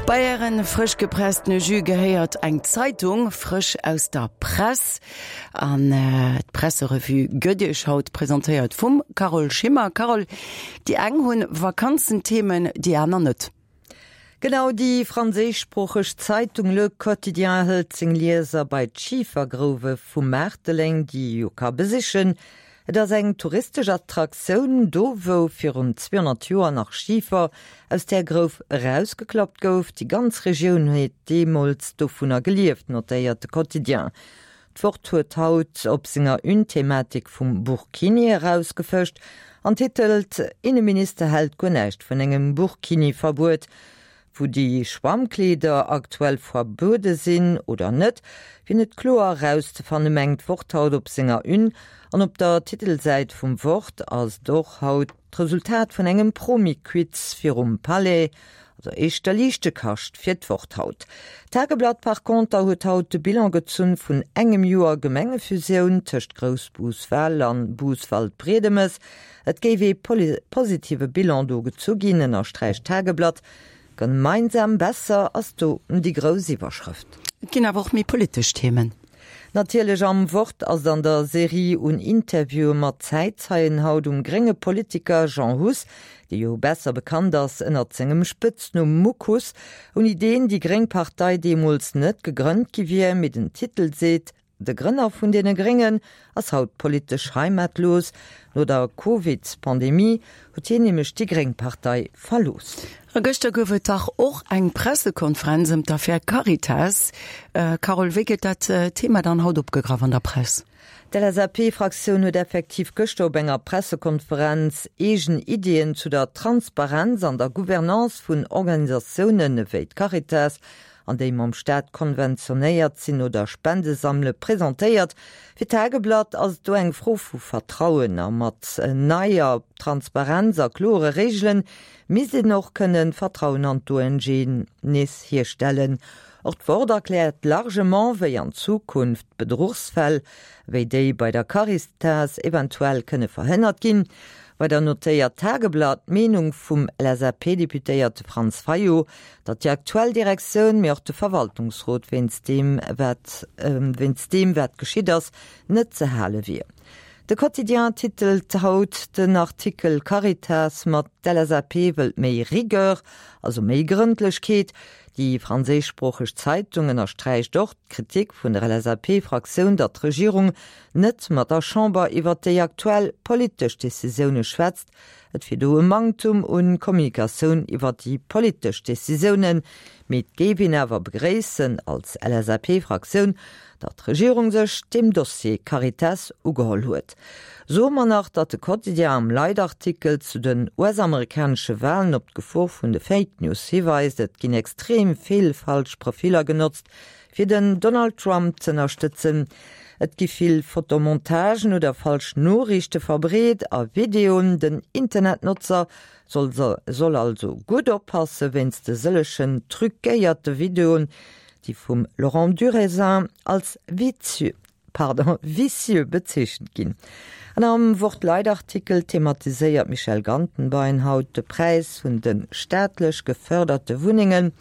Bei ären frësch gepresstene Jus gehéiert eng Zeitung, frësch aus der Press. An d'Presserevue gëtt Iech haut presentéiert vum Carole Schimmer. Carole, déi eng hunn Vakanzenthemen, déi aner net. Genau, déi franséischsproocheg Zeitung Le Quotidien hëlt seng Lieser bei d'Schifergrouwe vu Maarteleng, déi ee jo ka besichen. Et ass eng touristesch Attraktioun, do wou virun 200 Joer nach Schifer aus där Grouf erausgeklappt gouf. Déi ganz Regioun huet deemools dovunner gelieft, notéiert de Quotidien. D'Wort huet haut op senger Une d'Thematik vum Burkini erausgefëscht an titelt Inneminister hält guer näischt vun engem Burkini-Verbuet. Wou déi Schwammkleeder aktuell verbuede sinn oder net, wier net kloer erauszefanne mengt d'Wort haut op senger Une. An op der Titelsäit vum Wort ass et och haut d'Resultat vun engem Promi-Quiz virum Palais, also éischter liichte Kascht fir d'Wort haut. D'Tageblatt par conter huet haut de Bilan gezunn vun engem Joer Gemengefusioun tëscht Groussbus-Wal an Bus-Waldbriedemes. Et géif ee positive Bilan do gezu ginn, ënnersträicht d'Tageblatt. Gemeinsam besser ass do déi grouss Iwwerschrëft. Et ginn awer och méi politesch Themen. Natierlech am Wort ass et an der Serie un Interviewe mat Zäitzeien haut um grénge Politiker Jean Huss, dee jo besser bekannt ass ënnert sengem Spëtznumm Muck Huss, ouni deen déi gréng Partei deemools net gegrënnt gi wier, mee den Titel seet, De Grënner vun deene Gréngen ass haut politesch heimatlos. No der Covid-Pandemie huet hien nämlech déi gréng Partei verlooss. A gëschter gouf et dach och eng Pressekonferenz ëm d'Affär Caritas. Carole, wéi gëtt dat Thema dann haut opgegraff an der Press? D'LSAP-Fraktioun huet effektiv gëschter op enger Pressekonferenz eegen Iddien zu der Transparenz an der Gouvernance vun Organisatiounen ewéi d'Caritas, an déi mam Staat konventionéiert sinn oder Spende sammele, presentéiert. Fir d'Tageblatt ass et do eng Fro vu Vertrauen a mat neier Transparenz a klore Reegelen misst een och kënnen d'Vertrauen an d'ONGen nees hierstellen. Och d'Wort erkläert largement, wéi an Zukunft Bedruchsfäll wéi déi bei der Caritas eventuell kënne verhënnert ginn. Weider notéiert d'Tageblatt d'Meenung vum LSAP-Deputéierte Franz Fayot, datt déi aktuell Direktioun, mee och de Verwaltungsrot wéinst deem wat wéinst deem wat geschitt ass, net ze hale wier. De Quotidien titelt haut den Artikel Caritas mat D'LSAP wëllt méi Rigueur, also méi Grëndlechkeet. Déi franséischsproocheg Zeitung ënnersträicht och d'Kritik vun der LSAP-Fraktioun, datt d'Regierung net mat der Chamber iwwert déi aktuell politesch Decisioune schwätzt. Et wier do e Manktum un Kommunikatioun iwwer déi politesch Decisiounen. Mee et géif een awer begréissen als LSAP-Fraktioun, datt d'Regierung sech deem Dossier Caritas ugeholl huet. Soe mer nach, datt de Quotidien am Leitartikel zu den US-amerikanesche Walen op d'Gefor vun de Fake News hiweist. Et ginn extrem vill falsch Profiller genotzt, fir den Donald Trump z'ënnerstëtzen. Et gi vill Fotomontagen oder falsch Noriichte verbreet a Videoen. Den Internetnotzer soll soll also gutt oppasse wéinst de sëllegen truquéierte Videoen, déi vum Laurent Durézin als vicieux, pardon, vicieux bezeechent ginn. An am Wort-Leitartikel thematiséiert d'Michèle Gantenbein haut de Präis vun de staatlech gefërderte Wunnengen,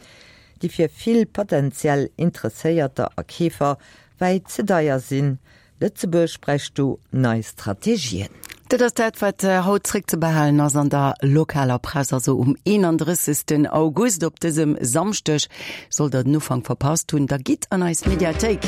déi fir vill potentiell Interesséierter a Keefer wäit ze deier sinn. Lëtzebuerg bräicht do nei Strategien. Dat ass dat, wat haut zréckzebehalen ass an der lokaler Press, also um 31. August. Op dësem Samschdeg. Sollt der den Ufank verpasst hunn, da gitt an eis Mediathéik.